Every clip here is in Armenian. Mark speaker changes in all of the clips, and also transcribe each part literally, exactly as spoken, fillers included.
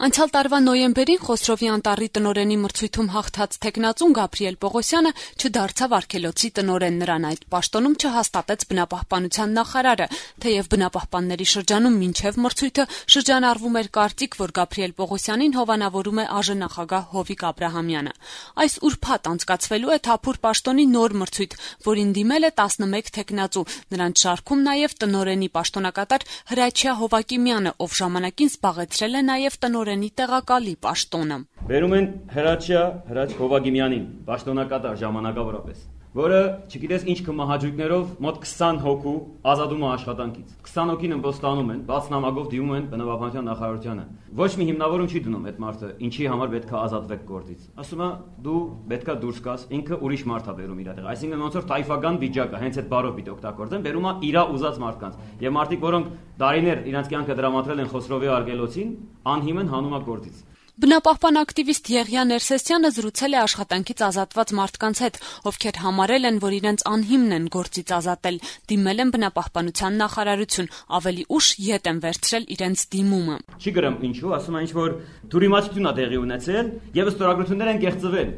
Speaker 1: Անցյալ տարվա նոյեմբերին Խոսրովի անտառի տնօրենի մրցույթում հաղթած թեկնածուն Գաբրիել Պողոսյանը չդարձավ արգելոցի տնօրեն, նրան այդ պաշտոնում չհաստատեց բնապահպանության նախարարը, թեև բնապահպանների շրջանում մինչև մրցույթը շրջանառվում էր կարծիք, որ Գաբրիել Պողոսյանին հովանավորում է ԱԺ նախագահ Հովիկ Աբրահամյանը։ Այս ուրբաթ անցկացվելու է Թափուր պաշտոնի նոր մրցույթ, որին դիմել է տասնմեկ թեկնածու, նրանց շարքում նաև տնօրենի պաշտոնակատար Հրաչյա Հովակիմյանը, ով ժամանակին զբաղեցրել է նաև տնօրենի տեղակալի պաշտոնը։
Speaker 2: Բերում են Հրաչյա Հրաչ Հովակիմյանին, պաշտոնակատար ժամանակավորապես, որը չգիտես ինչ կմահաճույքներով մոտ քսան հոգու ազատում է աշխատանքից։ քսան հոգին ըմբոստանում են, բաց նամակով դիմում են բնապահպանության նախարարությանը։ Ոչ մի հիմնավորում չի դնում այդ մարդը, ինչի համար պետք է ազատվեք գործից։ Ասում է դու պետքա դուրս գաս, ինքը ուրիշ մարդ է բերում իր տեղ։ Այսինքն ոնց որ տայֆական վիճակը, հենց այդ բառով պիտի օգտագործեն, բերում է իրա ուզած մարդկանց։ Եվ մարդիկ, որոնք տարիներ իրենց կյանքը դրամատրել են Խոսրովի արգելոցին, անհիմն հանում է գործից։
Speaker 1: Բնապահպան ակտիվիստ Եղիա Ներսեսյանը զրուցել է աշխատանքից ազատված մարդկանց հետ, ովքեր համարել են, որ իրենց անհիմն են գործից ազատել, դիմել են բնապահպանության նախարարություն, ավելի ուշ ետ են վերցրել իրենց դիմումը։
Speaker 2: Չի գրեմ ինչու, ասում է ինչ որ դուրիմացություն է տեղի ունեցել եւ ստորագրություններ են կեղծվել։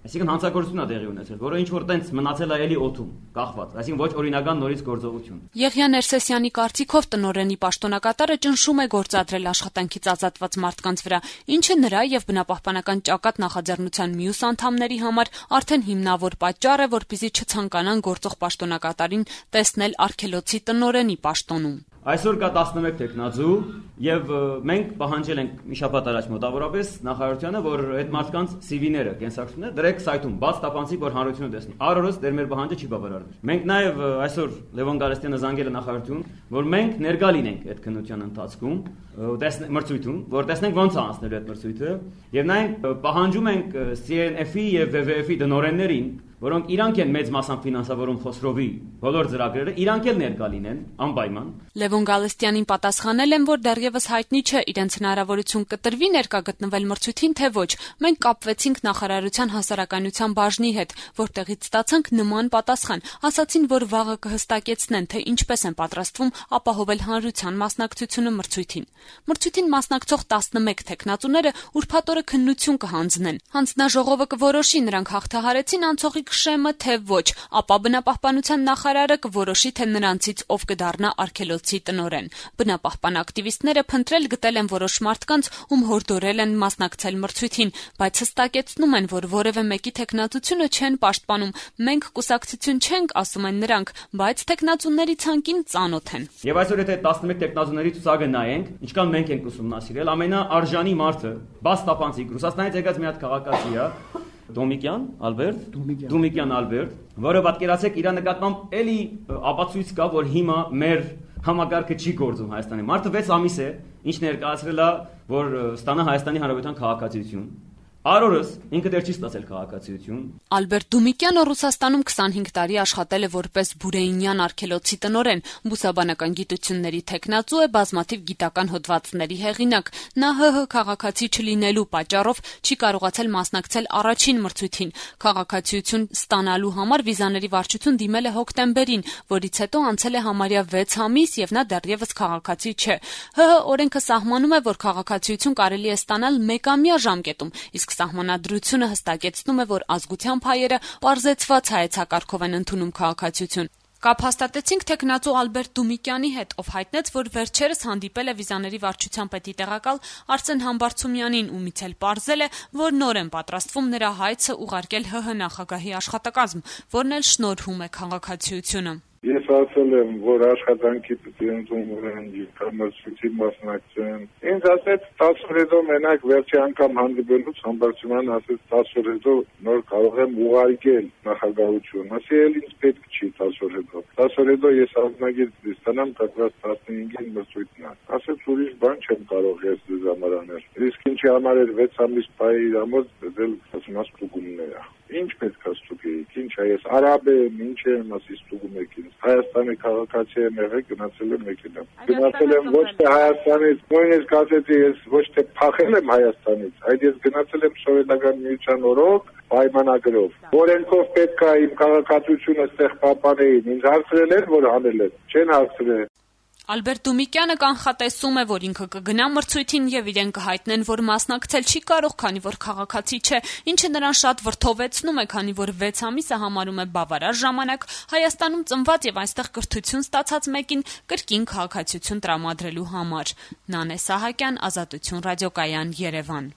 Speaker 2: Այսինքն հանցագործություն է տեղի ունեցել, որը ինչ որ տենց մնացել է էլի օդում, կախված, այսինքն ոչ օրինական նորից գործողություն։
Speaker 1: Եղիա Ներսեսյանի կարծիքով տնօրենի պաշտոնակատարը ճնշում է գործադրել աշխատանքից ազատված մարդկանց վրա, ինչը նրա եւ բնապահպանական ճակատ նախաձեռնության մյուս անդամների համար արդեն հիմնավոր պատճառ է, որպեսզի չցանկանան գործող պաշտոնակատարին տեսնել արգելոցի տնօրենի պաշտոնում։
Speaker 2: Այսօր կա տասնմեկ թեկնածու եւ մենք պահանջել ենք մի շաբաթ առաջ մոտավորապես նախարարությանը, որ այդ մարդկանց սի վիները, կենսագրությունները դրեք սայթում, բաց տապանցի, որ հանրությունը տեսնի։ Առօրս դեր մեր պահանջը չի բավարարվել։ Մենք նաեւ այսօր Լևոն Գալստյանը զանգել է նախարարություն, որ մենք ներկա լինենք այդ քննության ընթացքում, տեսնենք մրցույթում, որ տեսնենք ոնց է անցնելու այդ մրցույթը, եւ նաեւ պահանջում ենք սի էն էֆ-ի եւ վե վե էֆ-ի տնօրեններին, որոնք իրանք են մեծ մասամբ ֆինանսավորում Խոսրովի բոլոր ծրագրերը, իրանք էլ ներկա լինեն անպայման։
Speaker 1: Լևոն Գալստյանին պատասխանել են, որ դեռևս հայտնի չէ իրենց հնարավորություն կտրվի ներկա գտնվել մրցույթին, թե ոչ։ Մենք կապվեցինք նախարարության հասարակայնության բաժնի հետ, որտեղից ստացանք նման պատասխան։ Ասացին, որ վաղը կհստակեցնեն, թե ինչպես են պատրաստվում ապահովել հանրության մասնակցությունը մրցույթին։ Մրցույթին մասնակցող տասնմեկ թեկնածուները ուրբաթ օրը քննություն կհանձնեն։ Հանձնաժողովը կորոշի նրանք հաղթահարեցին անցողի շեմը, թե ոչ, ապա բնապահպանության նախարարը կորոշի, թե նրանցից ով կդառնա արգելոցի տնօրեն։ Բնապահպան ակտիվիստները փնտրել գտել են որոշ մարդկանց, ում հորդորել են մասնակցել մրցույթին, բայց հստակեցնում են, որ որևէ մեկի թեկնածությունը չեն պաշտպանում։ Մենք կուսակցություն չենք, ասում են նրանք, բայց թեկնածուների ցանկին ծանոթ են։
Speaker 2: Եվ այսօր եթե տասնմեկ թեկնածուների ցուցակը նայենք, ինչքան մենք ենք ուսումնասիրել, ամենաարժանի մարդը, բաց տապանցիկ, Ռուսաստանից եկած մի հատ քաղաքացի է, Դոմիկյան Ալբերտ, Դոմիկյան Ալբերտ, որը պատկերացեք իր նկատմամբ էլի ապացույց կա, որ հիմա մեր համակարգը չի գործում Հայաստանի։ Մարդը վեց ամիս է, ինչ ներկայացրել է, որ ստանա Հայաստանի Հանրապետության քաղաքացիություն։ Առօրս ինքը դեռ չի ստացել քաղաքացիություն։
Speaker 1: Ալբերտ Դոմիկյանը Ռուսաստանում քսանհինգ տարի աշխատել է որպես Բուրեինյան արգելոցի տնօրեն, բուսաբանական գիտությունների թեկնածու է, բազմաթիվ գիտական հոդվածների հեղինակ։ Նա ՀՀ քաղաքացի չլինելու պատճառով չի կարողացել մասնակցել առաջին մրցույթին։ Քաղաքացիություն ստանալու համար վիզաների վարչություն դիմել է հոկտեմբերին, որից հետո անցել է համարյա վեց ամիս եւ նա դեռևս քաղաքացի չէ։ ՀՀ օրենքը սահմանում է, որ քաղաքացիություն կարելի է ստանալ մեկամյա ժամկետում, իսկ սահմանադրությունը հստակեցնում է, որ ազգությամբ հայերը պարզեցված հայեցակարգով են ընդունում քաղաքացիություն։ Կապ հաստատեցինք թեկնածու Ալբերտ Դոմիկյանի հետ, ով հայտնեց, որ վերջերս հանդիպել է վիզաների վարչության պետի տեղակալ Արսեն Համբարձումյանին, ումից էլ պարզել է, որ նոր են պատրաստվում նրա հայցը ուղարկել ՀՀ նախագահի աշխատակազմ, որն էլ շնորհում է քաղաքացիությունը։
Speaker 3: Ես ասել եմ, որ աշխատանքի պիտի ընդունվեն եւ մրցույթի մասնակցեն։ Ինձ ասեց տասը օր հետո մենակ վերջի անգամ հանդիպելուց Համբարձումյանն ասեց տասը օր հետո նոր կարող եմ ուղարկել նախագահություն։ Ասի էլ ինձ պետք չի տասը օր հետո։ տասը օր հետո ես ազնագիր ստանամ կտրած տասնհինգին մրցույթն է։ Ասեց ուրիշ բան չեմ կարող ես դες համար անել։ Իսկ ինչի համար էր վեց ամիս բայ իրամոց դել ասում ստուգումներ։ Ինչ պետք է ստուգեիք, ինչ է ես արաբ եմ, ինչ եմ, ասի ստուգում եք ինձ։ Հայաստանի քաղաքացի եմ եղել, գնացել եմ մեքենա։ Գնացել եմ ոչ թե Հայաստանից, նույնիսկ ասեցի ես ոչ թե փախել եմ Հայաստանից, այլ ես գնացել եմ Սովետական միության օրոք պայմանագրով։ Օրենքով պետք է իմ քաղաքացիությունը ստեղ պահպանեին, ինձ հարցրել են, որ անել եմ, չեն հարցրել։
Speaker 1: Ալբերտ Դումիկյանը կանխատեսում է, որ ինքը կգնա մրցույթին եւ իրեն կհայտնեն, որ մասնակցել չի կարող, քանի որ քաղաքացի չէ, ինչը նրան շատ վրդովեցնում է, քանի որ վեց ամիսը համարում է բավարար ժամանակ Հայաստանում ծնված եւ այստեղ կրթություն ստացած մեկին կրկին քաղաքացիություն տրամադրելու համար։ Նանե Սահակյան, Ազատություն ռադիոկայան, Երևան։